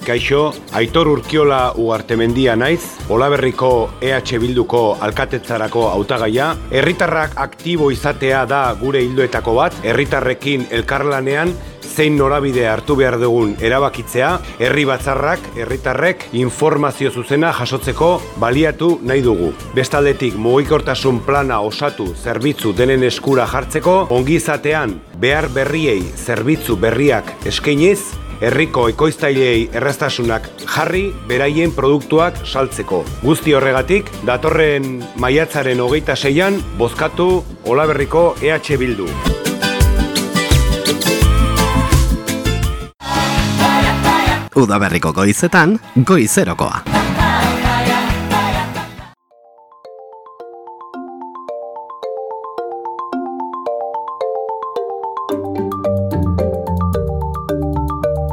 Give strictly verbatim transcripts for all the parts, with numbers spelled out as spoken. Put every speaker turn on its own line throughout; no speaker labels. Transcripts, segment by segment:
Kaixo, Aitor Urkiola Ugartemendia naiz, Olaberriko E H Bilduko alkatetzarako hautagaia. Herritarrak aktibo izatea da gure ildoetako bat, herritarrekin elkarlanean zein norabide hartu behar dugun erabakitzea, herri batzarrak, herritarrek informazio zuzena jasotzeko baliatu nahi dugu. Bestaldetik mugikortasun plana osatu zerbitzu denen eskura jartzeko, ongizatean behar berriei zerbitzu berriak eskainiz, herriko ekoiztailei erraztasunak jarri beraien produktuak saltzeko. Guzti horregatik, datorren maiatzaren hogeita seian, bozkatu Olaberriko E H Bildu.
Udaberriko goizetan, goizerokoa.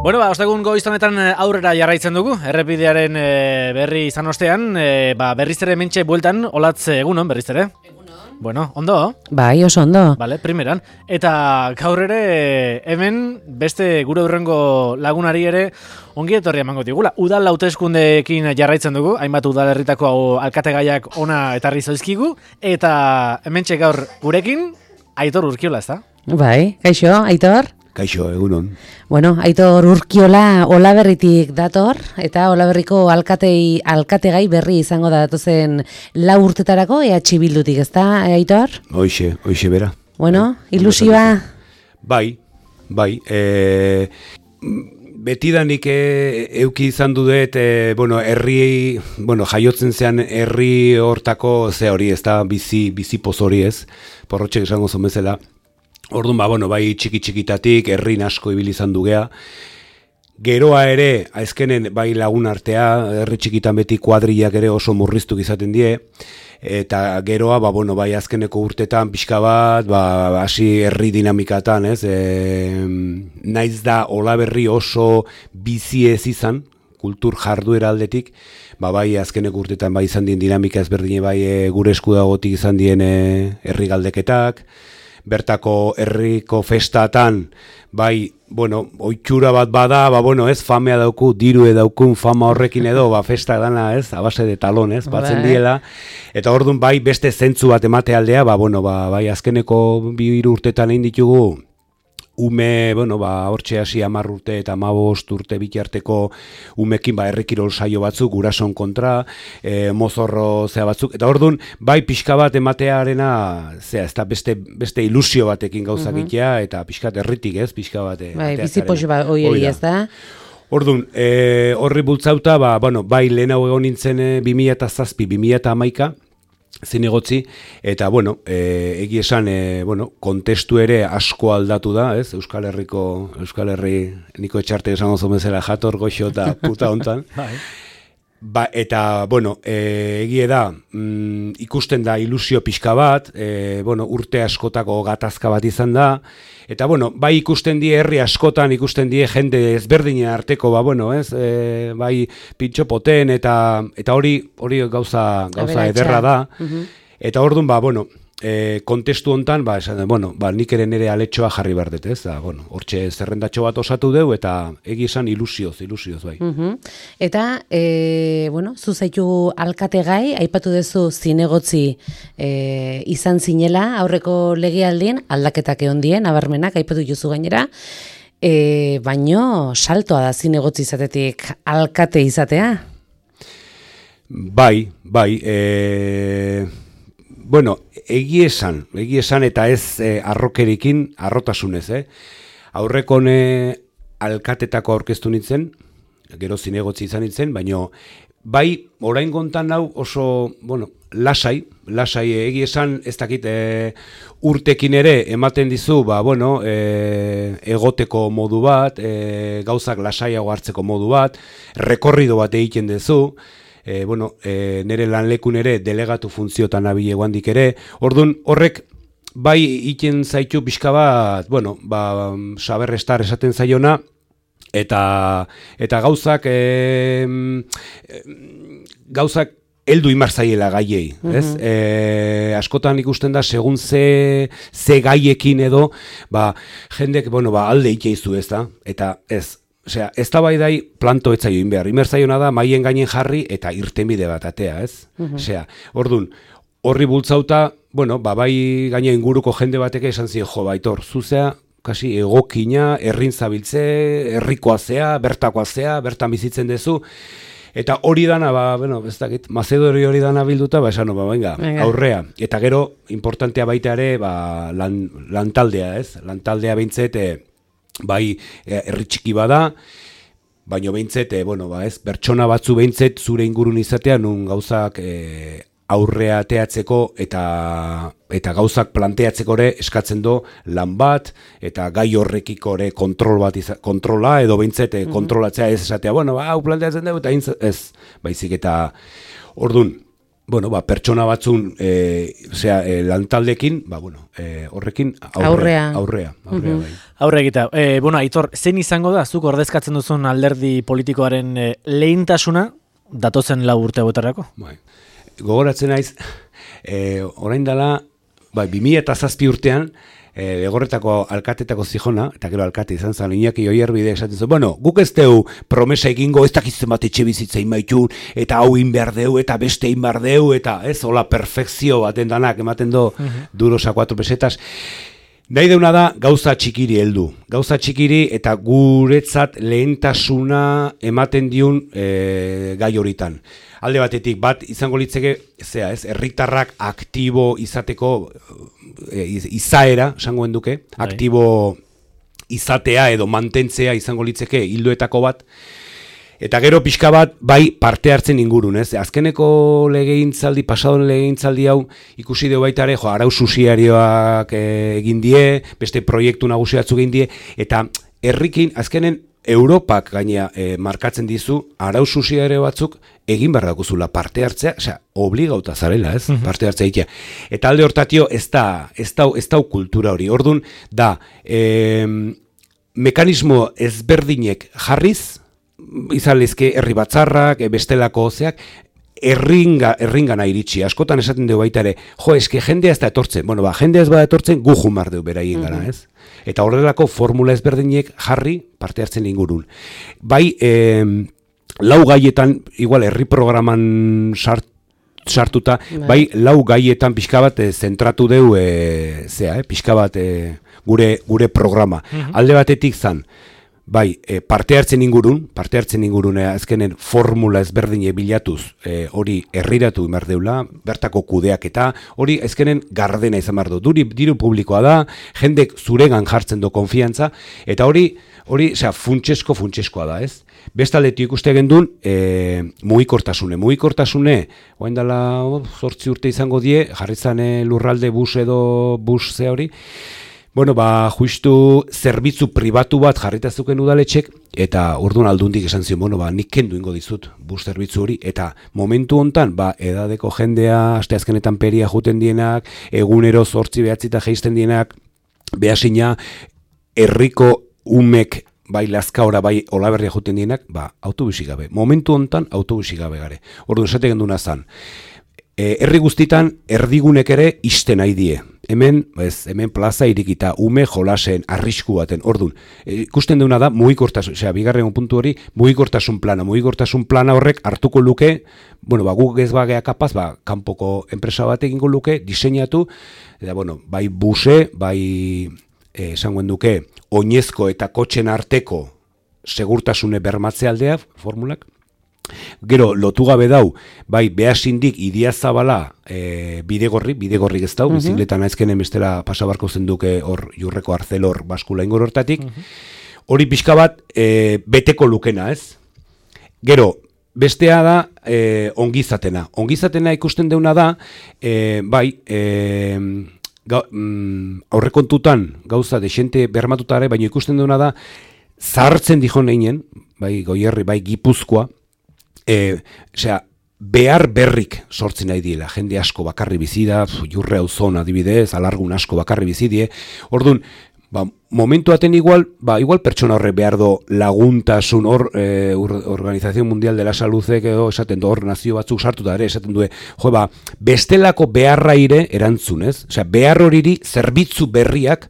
Bueno, ba, ostegun goiztonetan aurrera jarraitzen dugu, errepidearen e, berri izan ostean, e, ba, berriz ere mentxe bueltan, olatz egunon, berriz ere? Egunon. Bueno, ondo?
Bai, oso ondo.
Vale, primeran. Eta gaur ere hemen beste gure urrengo lagunari ere ongi etorri emango digula. Udal hauteskundeekin jarraitzen dugu, hainbat udalerritako alkategaiak ona etarri zaizkigu, eta hementxe gaur gurekin, Aitor Urkiola, ezta?
Bai, kaixo, Aitor?
Kaixo, egunon.
Bueno, Aitor Urkiola Olaberritik dator, eta Olaberriko alkatei, alkategai berri izango da datozen lau urtetarako E H Bildutik, ezta, Aitor?
Hoixe, hoixe bera.
Bueno, ilusioa?
Bai, bai. E, betidanik e, euki izan dudet, e, bueno, herri, bueno, jaiotzen zean herri hortako ze hori, ezta, bizi, bizi poz hori ez, porrotxek esango zomezela. Orduan, ba, bueno, bai txiki-txikitatik, herrin asko ibili izan dugea. Geroa ere, aizkenen bai lagun artea, herri txikitan beti kuadrillak ere oso murriztuk izaten die. Eta geroa, ba, bueno, bai azkeneko urtetan pixka bat, ba, hasi herri dinamikatan, ez? E, naiz da Olaberri oso bizi ez izan, kultur jarduera aldetik, ba, bai azkeneko urtetan bai izan dien dinamika ezberdine bai e, gure eskudagotik izan dien e, herri galdeketak, bertako herriko festatan, bai, bueno, oitxura bat bada, ba, bueno, ez, famea dauku, diru daukun fama horrekin edo, ba, festa dana, ez, a base de talon, ez, batzen diela, eta orduan, bai, beste zentzu bat emate aldea, ba, bueno, ba, bai, azkeneko bi hiru urtetan egin ditugu, ume, bueno, ba, hortxe hasi hamar urte eta hamabost urte bitarteko umekin, ba, herrikirol saio batzuk, gurason kontra, e, mozorro zea batzuk, eta orduan, bai, pixka bat ematearena, zea, ez da beste, beste ilusio batekin gauzak itea, eta pixkat herritik ez, pixka bat.
Bai, bizipos bat hori ez da.
Orduan, e, horri bultzauta, ba, bueno, bai, lehen hau egon nintzen e, bi mila zazpi, bi mila hamaika, zinegotzi, eta, bueno, e, egi esan, e, bueno, kontestu ere asko aldatu da, ez? Euskal Herriko, Euskal Herri, niko etxarte esango zomezela jator goxo eta puta hontan. Ba, eta, bueno, e, egie da, mm, ikusten da ilusio pixka bat, e, bueno, urte askotako gatazka bat izan da, eta, bueno, bai ikusten die herri askotan, ikusten die jende ezberdinen arteko, ba, bueno, ez, e, bai pintxopoten, eta eta hori hori gauza, gauza ederra da, eta orduan, ba, bueno, e, kontestu hontan, ba, esan, bueno, ba, nik ere nire aletxoa jarri behar dut, ez, da, bueno, hortxe zerrendatxo bat osatu deu, eta egi esan ilusioz, ilusioz, bai.
Uh-huh. Eta, e, bueno, zuzaitu alkategai, aipatu duzu zinegotzi e, izan zinela, aurreko legealdien, aldaketak egon dien, abarmenak, aipatu juzu gainera, e, baino saltoa da zinegotzi izatetik alkate izatea?
Bai, bai, e... Bueno, egi esan, egi esan eta ez eh, arrokerikin, arrotasunez, eh? Aurrekon eh, alkatetako aurkeztu nintzen, gero zinegotzi izan nintzen, baina bai, orain gontan hau oso, bueno, lasai, lasai egi esan, ez dakit eh, urtekin ere ematen dizu, ba, bueno, eh, egoteko modu bat, eh, gauzak lasaiago hartzeko modu bat, rekorrido bat egiten duzu, E, bueno, e, nire lanlekun ere delegatu funtziotan abile guandik ere, orduan horrek bai iten zaitu pixka bat, bueno, ba, saberrestar esaten zaiona, eta, eta gauzak, e, gauzak heldu imar zaiela gaiei, ez? Uh-huh. E, askotan ikusten da, segun ze, ze gaiekin edo, ba, jendek, bueno, ba, alde ikeizu, ez da? Eta ez, osea, ez da bai dai planto etzaio inbehar. Inbertzaiona da maien gainen jarri eta irtenbide bat atea, ez?
Mhm.
Osea, ordun, horri bultzauta, bueno, ba, bai gaina inguruko jende bateke esan ziren, jo, baitor, zuzea, kasi egokina, herrin zabiltze, herrikoa zea, bertakoa zea, bertan bizitzen dezu, eta hori dana, ba, bueno, ez dakit, Mazedori hori dana bilduta, ba, esan, ba, venga, aurrea. Eta gero, importantea baita ere, ba, lan, lantaldea, ez? Lantaldea behintzet, e, bai, herri txiki bada, baino behintzet, e, bueno, ba, ez, pertsona batzu behintzet zure ingurun izatea, nun gauzak e, aurrea teatzeko eta eta gauzak planteatzeko ere eskatzen do lan bat eta gai horrekiko ere kontrol bat iza, kontrola edo behintzet mm-hmm. kontrolatzea ez esatea, bueno, ba, hau planteatzen dugu eta ez, baizik eta ordun, bueno, ba, pertsona batzun e, osea, e, lantaldekin, ba, bueno, e, horrekin aurrea, aurrea, aurrea, mm-hmm. bai.
Aurre egita, e, bueno, Aitor, zein izango da, zuk ordezkatzen duzun alderdi politikoaren e, lehintasuna datozen lau urte boterrako?
Bai. Gogoratzen naiz, e, orain dela, bai, bi mila eta zazpi urtean, e, Legorretako alkatetako zijona, eta gero alkate izan zen, Iñaki Oierbide esaten zuen, bueno, guk ez deu promesa egingo, ez dakitzen bat etxe bizitza inmaitun, eta hau inbehar deu, eta beste inbehar deu, eta ez, hola perfekzio baten danak, ematen do, uh-huh. durosa cuatro pesetas. Nahi deuna da gauza txikiri heldu. Gauza txikiri eta guretzat lehentasuna ematen diun e, gai horitan. Alde batetik bat izango litzeke, zea, ez, herritarrak aktibo izateko e, izaera, esangoen duke, aktibo izatea edo mantentzea izango litzeke hildoetako bat. Eta gero pixka bat, bai, parte hartzen ingurun, ez? Azkeneko legegintzaldi, pasadon legegintzaldi hau, ikusi deu baita ere, jo, arau susiarioak egin die, beste proiektu nagusiatzu egin die, eta herrikin, azkenen, Europak gainea e, markatzen dizu, arau susiario batzuk egin behar dakuzula parte hartzea, osea, obligauta zarela, ez? Uh-huh. Parte hartzea egitea. Eta alde hortatio, ez da, ez da, ez da kultura hori. Ordun da, e, mekanismo ezberdinek jarriz, izan lezke herri batzarrak, bestelako zeak, erringa, erringana iritsi. Askotan esaten dugu baita ere, jo, eske jendea ez da etortzen. Bueno, ba, jendea ez bada etortzen, gu jumar dugu beraien gara, ez? Eta horrelako formula ezberdinek jarri parte hartzen ingurun. Bai, eh, lau gaietan, igual, herri programan sart, sartuta, bai. bai, lau gaietan pixka bat eh, zentratu deu, eh, zea, eh, pixka bat eh, gure, gure programa. Uh-huh. Alde batetik zan, bai, e, parte hartzen ingurun, parte hartzen ingurun azkenen formula ezberdine bilatuz e, hori herriratu behar deula, bertako kudeak eta hori azkenen gardena izan behar du. Duri, diru publikoa da, jendek zuregan jartzen du konfiantza, eta hori, hori, osea, funtsesko, funtseskoa da, ez? Bestaldetik ikuste gendun, e, mugikortasune. Mugikortasune, oain dela zortzi urte izango die, jarritzan lurralde bus edo bus ze hori, bueno, ba, justu zerbitzu pribatu bat jarritazuken udaletxek, eta orduan aldundik esan zion, bueno, ba, nik kendu ingo dizut bus zerbitzu hori, eta momentu hontan, ba, edadeko jendea, asteazkenetan peria juten dienak, egunero zortzi behatzita geisten dienak, behasina, herriko umek, bai lazkaora, bai olaberria juten dienak, ba, autobusik gabe. Momentu hontan, autobusik gabe gare. Orduan, esate genduna zan. E, herri guztitan, erdigunek ere iste nahi die. Hemen, ez, hemen plaza irikita, ume jolasen, arrisku baten, ordun. E, ikusten duna da, mugikortasun, osea, bigarren puntu hori, mugikortasun plana. Mugikortasun plana horrek hartuko luke, bueno, ba, guk ez bagea kapaz, ba, kanpoko enpresa bat egingo luke, diseinatu, eta, bueno, bai buse, bai, e, esangoen duke, oinezko eta kotxen arteko segurtasune bermatze aldea, formulak. Gero, lotu gabe dau, bai, Beasindik Idiazabala e, bidegorri, bidegorri ez dau, uh-huh. bizikletan aizkenen bestela pasabarko zenduke hor jurreko arzelor baskula ingor hortatik. Uh-huh. Hori pixka bat e, beteko lukena, ez? Gero, bestea da e, ongizatena. Ongizatena ikusten deuna da, e, bai, e, ga, mm, aurrekontutan gauza desente bermatutare, baina ikusten deuna da, zahartzen dijon einen, bai, Goierri, bai, Gipuzkoa, E, osea, behar berrik sortzen nahi diela, jende asko bakarri bizida, jurre hau zona adibidez, alargun asko bakarri bizidie, orduan, ba, momentu aten igual, ba, igual pertsona horre behar do laguntasun hor, e, Organización Mundial de la Saludek edo esaten du hor nazio batzuk sartuta ere, esaten du, jo, ba, bestelako beharra ire erantzun, ez? Osea, behar horiri zerbitzu berriak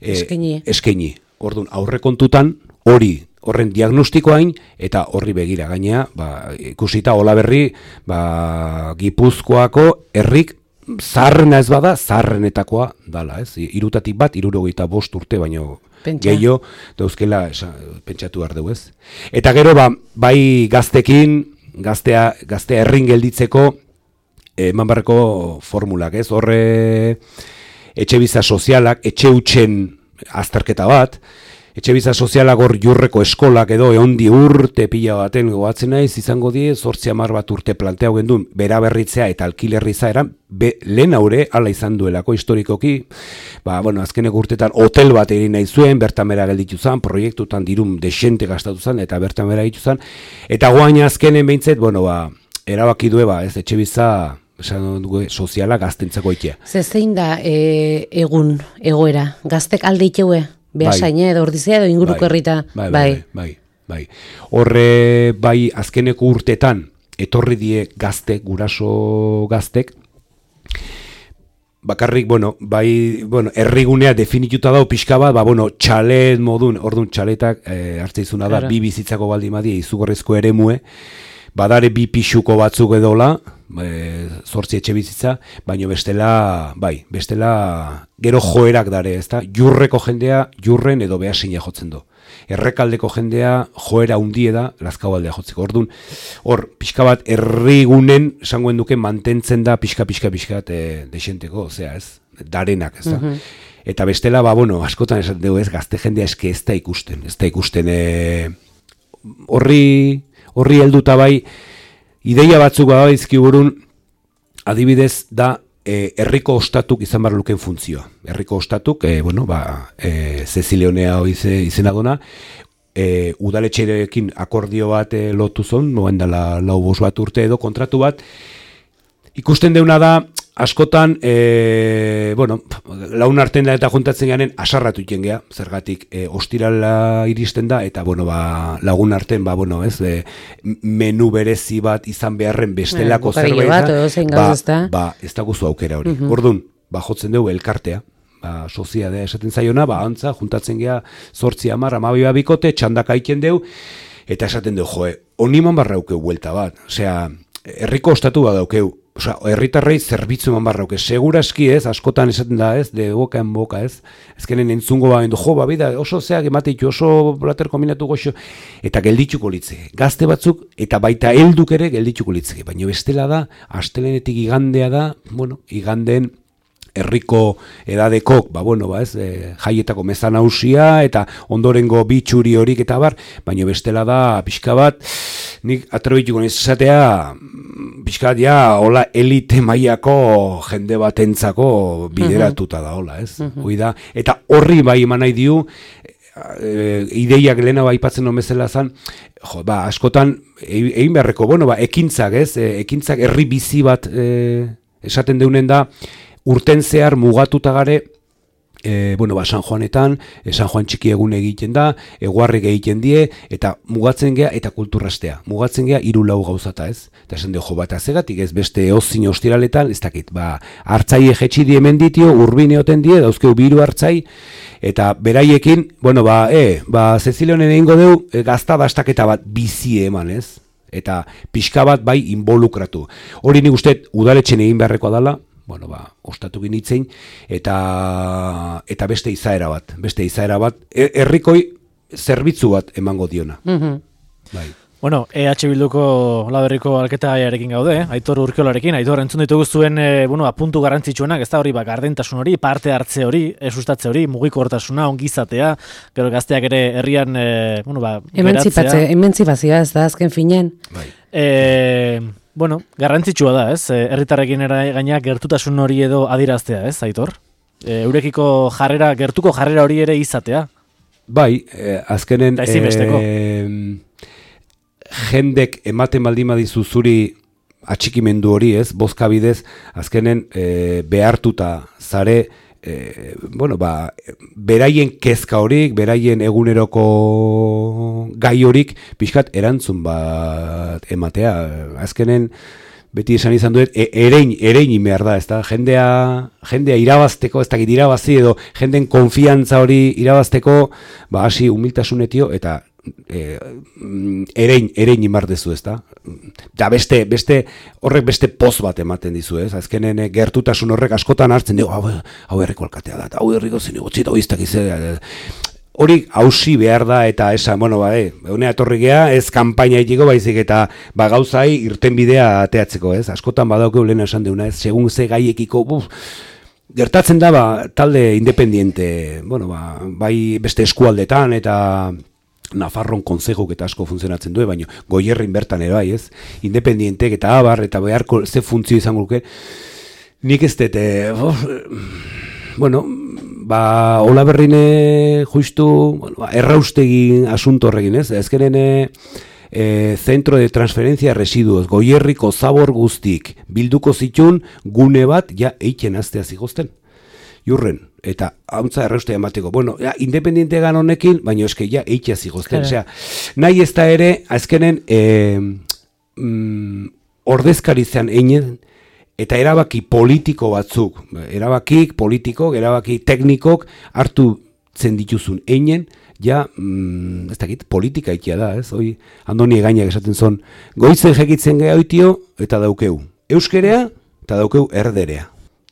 e,
eskaini.
eskaini. Orduan, aurrekontutan hori horren diagnostikoain eta horri begira gainea, ba, ikusita Olaberri, ba, Gipuzkoako herrik zaharrena ez bada, zaharrenetakoa dala, ez? Irutatik bat, hirurogeita bost urte, baino gehiago dauzkela pentsatu behar dugu, ez? Eta gero, ba, bai gaztekin, gaztea, gaztea herrin gelditzeko, eman barreko formulak, ez? Horre etxebizitza sozialak, etxe hutsen azterketa bat, etxebizitza sozialak hor jurreko eskolak edo eondi urte pila baten goatzen naiz, izango die, zortzi hamar bat urte planteau gendun, bera berritzea eta alkilerri zaeran, be, lehen haure, ala izan duelako historikoki, ba, bueno, azkeneko urtetan hotel bat egin nahi zuen, bertan bera gelditu zen, proiektutan dirun desente gastatu zen, eta bertan bera egitu zen, eta guaina azkenen behintzet, bueno, ba, erabaki due, ba, ez, etxebizitza esan dugu soziala gaztentzako ikia.
Ze zein da e, egun, egoera, gaztek alde iteue? Behasaine edo ordizia edo inguruko herrita.
Bai, bai, bai, bai. Horre, bai, azkeneko urtetan, etorri die gazte, guraso gaztek, bakarrik, bueno, bai, bueno, herrigunea definituta dago pixka bat, ba, bueno, txalet modun, orduan txaletak eh, hartzeizuna da, bi bizitzako baldimadi, izugarrizko eremue, badare bi pixuko batzuk edola, e, zortzi etxe bizitza, baino bestela, bai, bestela gero joerak dare, ezta? Jurreko jendea jurren edo behasina jotzen du. Errekaldeko jendea joera hundie da Lazkabaldea jotzeko. Orduan, hor, pixka bat herrigunen esangoen duke mantentzen da pixka, pixka, pixka e, desenteko, osea, ez? Darenak, ez da? Mm-hmm. Eta bestela, ba, bueno, askotan esaten dugu ez, gazte jendea eske ez da ikusten, ez da ikusten e, horri... Horri helduta bai, ideia batzuk bada izkiburun, adibidez da e, herriko ostatuk izan behar luken funtzioa. Herriko ostatuk, e, bueno, ba, e, Zezileonea hoize izena duna, e, udaletxerekin akordio bat e, lotu zon, noen dela lau bost bat urte edo kontratu bat, ikusten deuna da, askotan, e, bueno, laun arten da eta juntatzen garen asarratu iten geha, zergatik e, ostirala iristen da, eta bueno, ba, lagun arten, ba, bueno, ez, e, menu berezi bat izan beharren bestelako zerbait izan, ba, ba, ez da guzu aukera hori. Uh-huh. Orduan, ba, jotzen dugu elkartea, ba, soziadea esaten zaiona, ba, antza, juntatzen geha, zortzi hamar, amabi babikote, txandaka iken dugu, eta esaten dugu, joe, oniman barraukeu buelta bat, osea, herriko ostatu bat daukeu, osea, herritarrei zerbitzu eman barrauke, seguraski ez, askotan esaten da ez, de boka en boka ez, ezkenen entzungo ba, jo, ba, bida, oso zeak emateitzu, oso blater kombinatu goxo, eta gelditzuko litzeke, gazte batzuk, eta baita helduk ere gelditzuko litzeke, baina bestela da, astelenetik igandea da, bueno, igandeen, herriko edadekok, ba, bueno, ba, ez, e, jaietako mezan hausia, eta ondorengo bitxuri horik eta bar, baina bestela da, pixka bat, nik atrebituko niz esatea, pixka bat, ja, hola, elite mailako jende batentzako bideratuta da, hola, ez, hoi da, eta horri bai eman nahi diu, e, ideiak lehena bai aipatzen non bezala zan, jo, ba, askotan, egin beharreko, bueno, ba, ekintzak, ez, e, ekintzak herri bizi bat e, esaten deunen da, urten zehar mugatuta gare, e, bueno, ba, San Juanetan, e, San Juan txiki egun egiten da, eguarrik egiten die, eta mugatzen gea, eta kulturrastea. Mugatzen gea, hiru lau gauzata ez. Eta esan dugu, jo, bat azegatik ez beste ozin ostiraletan, ez dakit, ba, hartzai egetxi die menditio, urbine oten die, dauzkeu biru hartzai, eta beraiekin, bueno, ba, e, ba, Zezileonen egingo deu, e, gazta dastaketa bat bizi eman ez. Eta pixka bat bai involukratu. Hori nik uste udaletxen egin beharrekoa dela, bueno, ba, ostatu ginitzen, eta, eta beste izaera bat, beste izaera bat, herrikoi zerbitzu bat emango diona. Mm-hmm. Bai.
Bueno, E H Bilduko Olaberriko alketagaiarekin gaude, eh? Aitor Urkiolarekin, Aitor, entzun ditugu zuen, e, bueno, puntu garrantzitsuenak, ez da hori, ba, gardentasun hori, parte hartze hori, sustatze hori, mugikortasuna, ongizatea, gero gazteak ere herrian, e, bueno, ba,
emantzipatze, emantzipazioa, ez da, azken finean.
Bai. E, bueno, garrantzitsua da, ez? Herritarrekin gaina gertutasun hori edo adiraztea, ez, Aitor? E, eurekiko jarrera, gertuko jarrera hori ere izatea.
Bai, eh, azkenen...
Eta ezinbesteko.
Eh, jendek ematen baldin badizu zuri atxikimendu hori, ez, bozka bidez, azkenen e, behartuta zare, e, bueno, ba, beraien kezka horik, beraien eguneroko gai horik, pixkat erantzun bat ematea, azkenen, beti esan izan duet, e, erein, erein behar da, ez da, jendea, jendea irabazteko, ez dakit irabazi edo, jenden konfiantza hori irabazteko, ba, hasi humiltasunetio, eta e, erein, erein imardezu, ez da? Da beste, beste, horrek beste poz bat ematen dizu, ez? Azkenen gertutasun horrek askotan hartzen dugu, hau, hau herriko alkatea da, hau herriko zinegotzi, hau iztak izan, hori hausi behar da eta esan, bueno, ba, e, honea etorri gea, ez kanpaina itiko baizik eta ba, gauzai irten bidea ateatzeko, ez? Askotan badaukeu lehen esan deuna, ez? Segun ze gaiekiko, buf, gertatzen da, ba, talde independiente, bueno, ba, bai beste eskualdetan eta Nafarron konzejok eta asko funtzionatzen du, baina Goierrin bertan ere bai, ez? Independientek eta abar eta beharko ze funtzio izango luke. Nik ez dut, oh, bueno, ba, hola berrine justu, bueno, ba, erraustegi asunto horrekin, ez? Ezkeren e, Centro de Transferencia de Residuos, Goierriko zabor guztik, bilduko zitun gune bat, ja, eiken aztea zigozten. Jurren, eta hauntza erraustea emateko. Bueno, ja, independiente gan honekin, baina eske ja, eitea zigozten. Osea, nahi ez da ere, azkenen, e, mm, ordezkarizan einen, eta erabaki politiko batzuk, erabakik politikok, erabaki teknikok hartu zen dituzun einen, ja, mm, ez dakit, politika ikia da, ez? Hoi, Andoni Egainak esaten zon, goizen jekitzen geha oitio, eta daukeu euskerea, eta daukeu erderea.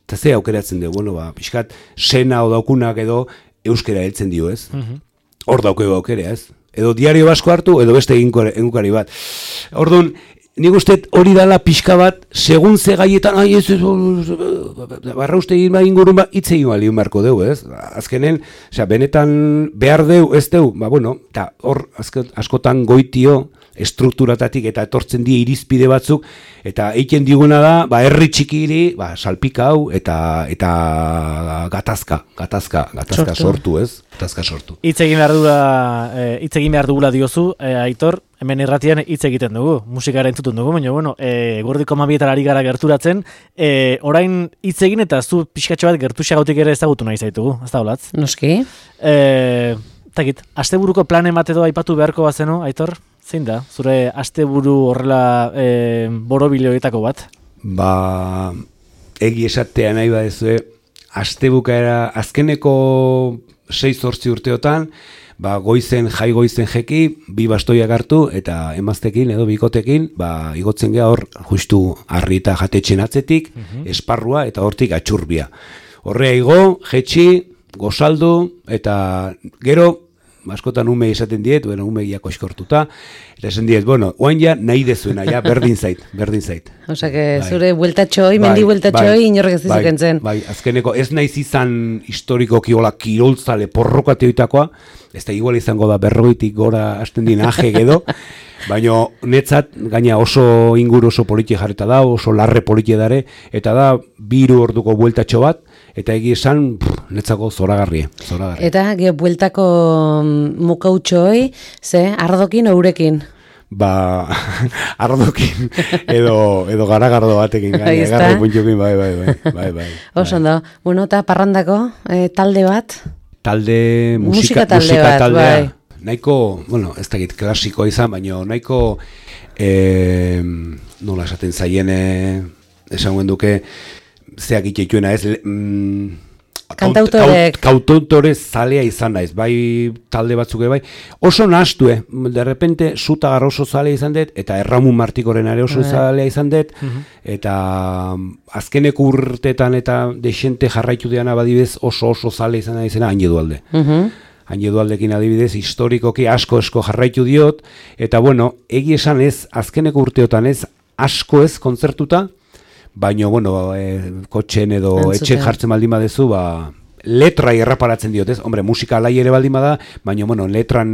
Eta ze aukeratzen dugu, bueno, ba, pixkat, sena o daukunak edo euskera heltzen dio, ez? Mm-hmm. Hor daukeu aukerea, ez? Edo diario basko hartu, edo beste egunkari bat. Orduan, nik uste hori dala pixka bat, segun ze gaietan, ai, ez, ez, barra uste egin bat ingurun bat, hitz egin bali marko deu, ez? Azkenen, osea, benetan behar deu, ez deu, ba, bueno, eta hor, askotan goitio, estrukturatatik eta etortzen die irizpide batzuk, eta eiken diguna da, ba, herri txikiri, ba, salpika hau, eta, eta gatazka, gatazka, gatazka sortu, ez? Gatazka sortu.
Hitz egin behar dugula, hitz egin behar dugula diozu, e, Aitor, hemen irratian hitz egiten dugu, musikara entzutun dugu, baina, bueno, e, gordiko mabietan ari gara gerturatzen, e, orain hitz egin eta zu pixkatxo bat gertuxagautik ere ezagutu nahi zaitugu, ez da holatz?
Noski.
E, takit, asteburuko planen bat edo aipatu beharko bazeno, Aitor? Zein da, zure asteburu horrela e, borobiloetako bat?
Ba, egi esatea nahi badezue, astebukaera azkeneko sei zortzi urteotan, ba, goizen, jai goizen jeki, bi bastoiak hartu, eta emaztekin edo bikotekin, ba, igotzen geha hor, justu harri eta jatetxen atzetik, uh-huh. esparrua eta hortik atxurbia. Horrea igo, jetxi, gozaldu, eta gero, askotan ume esaten diet, bueno, ume giako eskortuta, eta esan diet, bueno, oain ja nahi dezuena, ja, berdin zait, berdin zait.
Osa, que bai. Zure bueltatxoi, mendi bai, bueltatxoi, bai, inorrek ez dizuken zen.
Bai, azkeneko, ez naiz izan historiko kiola kiroltzale porrokateoitakoa, ez da igual izango da berroitik gora hasten din aje edo, baina netzat, gaina oso inguru oso politie jarreta da, oso larre politie dare, eta da, biru orduko bueltatxo bat, eta egi esan, pff, netzako zoragarrie, zoragarrie.
Eta, ge, bueltako mukautxoi, ze, ardokin ourekin?
Ba, ardokin, edo, edo garagardo batekin, gaina, garro puntxokin, bai, bai, bai, bai, bai.
Oso ondo, bueno, eta parrandako, eh, talde bat?
Talde, musika,
musika talde
musika
bat,
taldea.
bai.
Nahiko, bueno, ez dakit klasikoa izan, baina nahiko, eh, nola esaten zaien, esan guen duke, zeak itxeituena ez, mm,
kantautorek
kautautore zalea izan naiz, bai talde batzuk bai, oso nahastu, eh? De repente Zutagar oso zalea izan dut, eta Erramun Martikoren ere oso zalea izan dut, uh-huh. eta azkeneko urtetan eta desente jarraitu deana badibidez oso oso zalea izan da izena Hain Edualde. Uh-huh. Hain Edualdekin adibidez, historikoki asko esko jarraitu diot, eta bueno, egi esan ez, azkeneko urteotan ez, asko ez kontzertuta, baina, bueno, e, kotxen edo etxen jartzen baldin badezu, ba, letra erraparatzen diot, ez? Hombre, musika alai ere baldin bada, baina, bueno, letran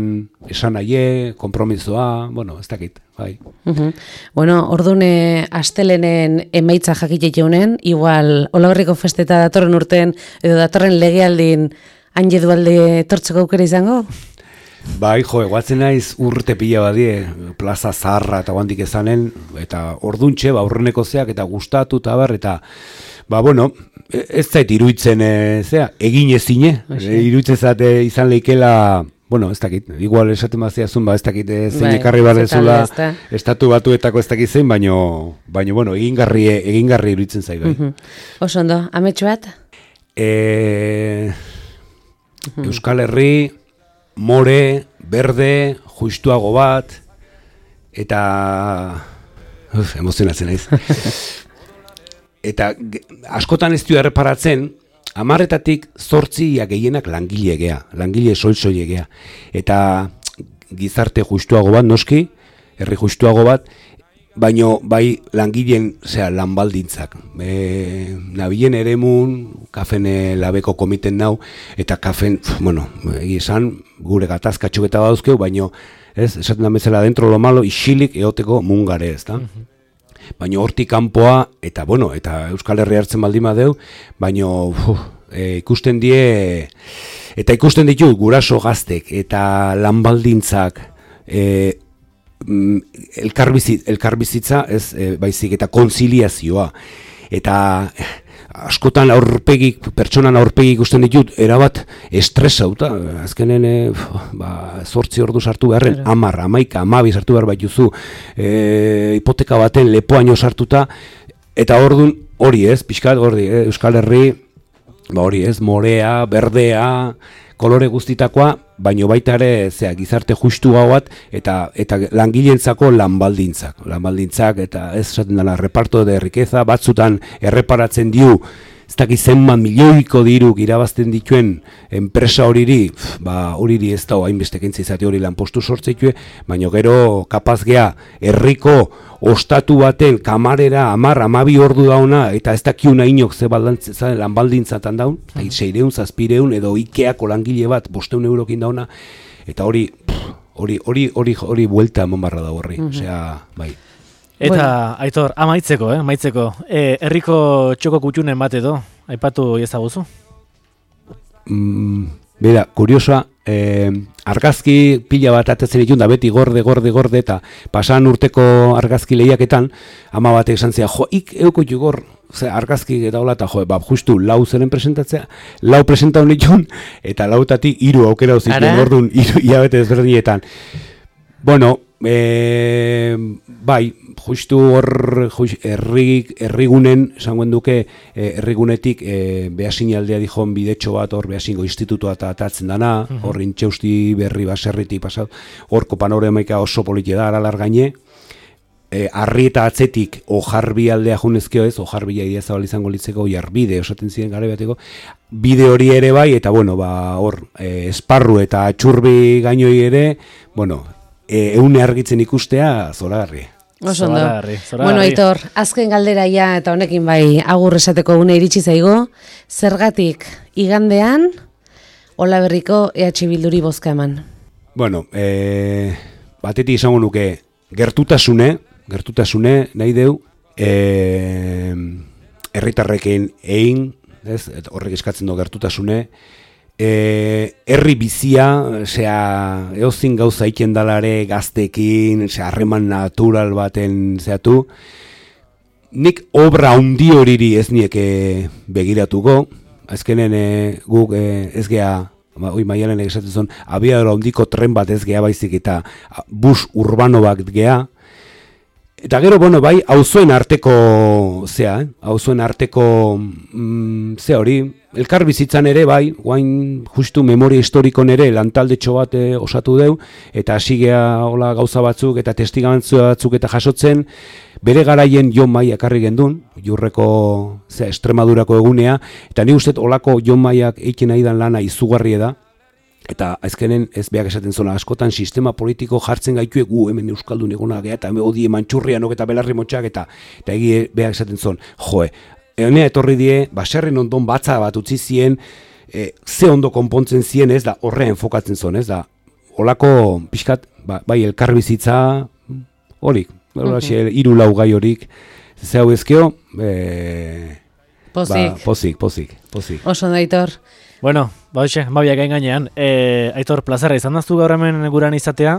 esan nahi, kompromisoa, bueno, ez dakit, bai.
Uh-huh. Bueno, ordune astelenen emaitza jakitxe jaunen, igual, Olaberriko festeta datorren urten, edo datorren legealdin, Hain Edualde tortzeko aukera izango?
Bai, jo, eguatzen naiz urte pila badie, plaza zaharra eta guantik ezanen, eta orduntxe, ba, aurreneko zeak, eta gustatu eta bar, eta, ba, bueno, ez zait iruitzen, e, zea, egin ezine, e, iruitzen zate izan leikela, bueno, ez dakit, igual esaten baziazun, ba, ez dakit, e, zein ekarri bai, barrezula, estatu batuetako ez dakit zein, baino, baino, bueno, egingarri, egingarri iruitzen zait, bai.
Uh-huh. Oso ondo, ametsu bat?
E, uh-huh. Euskal Herri, more, berde, justuago bat, eta... Uf, emozionatzen naiz. Eta askotan ez du erreparatzen, hamarretatik zortzia gehienak langile gea, langile soil-soile gea. Eta gizarte justuago bat, noski, herri justuago bat, baino bai langileen zera, lanbaldintzak. E, nabilen eremun, kafen labeko komiten nau, eta kafen, bueno, egizan, gure gatazkatxuk eta badauzkeu, baino, ez, esaten da bezala dentro lo malo, isilik eoteko mungare, ez da? Uh-huh. Baino hortik kanpoa, eta bueno, eta Euskal Herria hartzen baldin badeu, baino uf, e, ikusten die, eta ikusten ditu guraso gaztek, eta lanbaldintzak, e, elkarbizit, elkarbizitza, ez, e, baizik, eta konziliazioa, eta askotan aurpegik, pertsonan aurpegik ikusten ditut, erabat estresauta, azkenen e, ba, zortzi ordu sartu beharren, amar, amaika, amabi sartu behar baituzu, e, hipoteka baten lepoaino sartuta, eta ordun hori ez, pixkat, hori, e, Euskal Herri, ba hori ez, morea, berdea, kolore guztitakoa, baino baita ere zea, gizarte justu gau bat, eta, eta langileentzako lanbaldintzak. Lanbaldintzak, eta ez esaten dela, reparto de riqueza, batzutan erreparatzen diu, ez dakiz zenbat milioiko diruk irabazten dituen enpresa horiri, ba horiri ez da hainbeste kentza izate hori lanpostu sortzeitue, baino gero kapaz gea herriko ostatu baten kamarera amar, amabi ordu dauna, eta ez dakiuna inok ze lanbaldintzatan daun, uh-huh. seireun, zazpireun, edo Ikeako langile bat, bosteun eurokin dauna, eta hori, hori, hori, hori, hori buelta emon barra da horri, uh-huh. osea, bai.
Eta, bueno. Aitor, amaitzeko, eh, amaitzeko, e, herriko txoko kutxunen bat edo, aipatu ezaguzu?
Mm, bera, kuriosoa, eh, argazki pila bat atatzen ditun da beti gorde, gorde, gorde, eta pasan urteko argazki lehiaketan, ama batek esan zea, jo, ik euko jugor, ze, argazki eta hola, eta jo, ba, justu lau zeren presentatzea, lau presentau nitun, eta lautatik hiru aukera uzituen, orduan, hiru hilabete ezberdinetan. Bueno, e, bai, justu hor herri, herrigunen, esangoen duke, herrigunetik e, behasinaldea dijon bidetxo bat, hor behasingo institutua eta atatzen dana, uh-huh. hor intxeusti berri baserritik pasat, horko panoramaika oso politia da, aralar gaine, e, arri eta atzetik ojarbi aldea junezkeo ez, ojarbi jaidea zabal izango litzeko, jarbide, osaten ziren gara bateko, bide hori ere bai, eta bueno, ba, hor, e, esparru eta atxurbi gainoi ere, bueno, e, eune argitzen ikustea, zoragarri.
Oso ondo. Bueno, Aitor, azken galdera ja, eta honekin bai agur esateko une iritsi zaigo, zergatik igandean Olaberriko E H Bilduri bozka eman?
Bueno, e, batetik izango nuke gertutasune, gertutasune nahi deu, e, herritarrekin egin, ez, horrek eskatzen du gertutasune, E, herri bizia, osea, eozin gauza iken dalare gaztekin, osea, harreman natural baten zeatu. Nik obra handi horiri ez nieke begiratuko, azkenen e, guk e, ez gea, oi maialen egizatzen zuen, abiadora handiko tren bat ez gea baizik eta bus urbano bat gea. Eta gero, bueno, bai, auzoen arteko, zea, eh? auzoen arteko, mm, ze hori, elkar bizitzan ere, bai, guain justu memoria historikon ere lantaldetxo bat eh, osatu deu, eta hasigea hola gauza batzuk, eta testigantzu batzuk eta jasotzen, bere garaien Jon Mai ekarri gendun, Jurreko, zea, Estremadurako egunea, eta ni uste olako Jon Maiak eiken nahi dan lana izugarri da, eta azkenen ez beak esaten zona askotan sistema politiko jartzen gaitue gu hemen euskaldun egona gea eta odie mantxurrianok eta belarri motxak eta eta egie beak esaten zon, joe, honea etorri die, baserren ondon batza bat utzi zien, e, ze ondo konpontzen zien ez da horrean enfokatzen zon, ez da olako pixkat, ba, bai elkarbizitza horik, okay. Hiru lau gai horik, ze hau ezkeo, e,
pozik.
Ba, pozik, pozik, pozik.
Oso da, Aitor.
Bueno, ba hoxe, babiak gain gainean, e, Aitor, plazarra izan daztu gaur hemen guran izatea,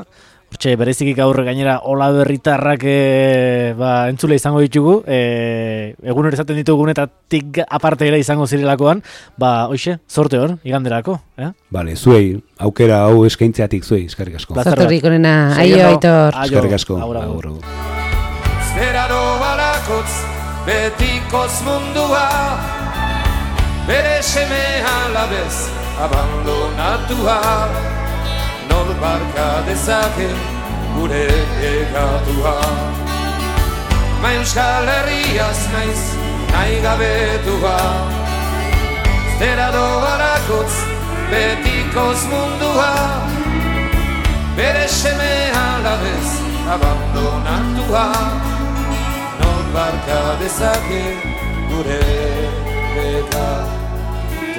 hortxe, bereziki gaur gainera Olaberritarrak e, ba, entzule izango ditugu, e, egun hori izaten ditugunetatik aparte ere izango zirelakoan, ba hoxe, sorte hor, iganderako, eh?
Bale, zuei, aukera hau eskaintzeatik zuei, eskerrik asko.
Zartorrik onena, aio, Aitor.
Eskerrik asko.
Agur.
Zeraro balakotz, betikoz mundua, bere seme alabez abandonatua, nor barka dezake gure egatua. Ma Euskal Herriaz naiz nahi gabetua, zera doarakotz betikoz mundua, bere seme alabez abandonatua, nor barka dezake gure egatua.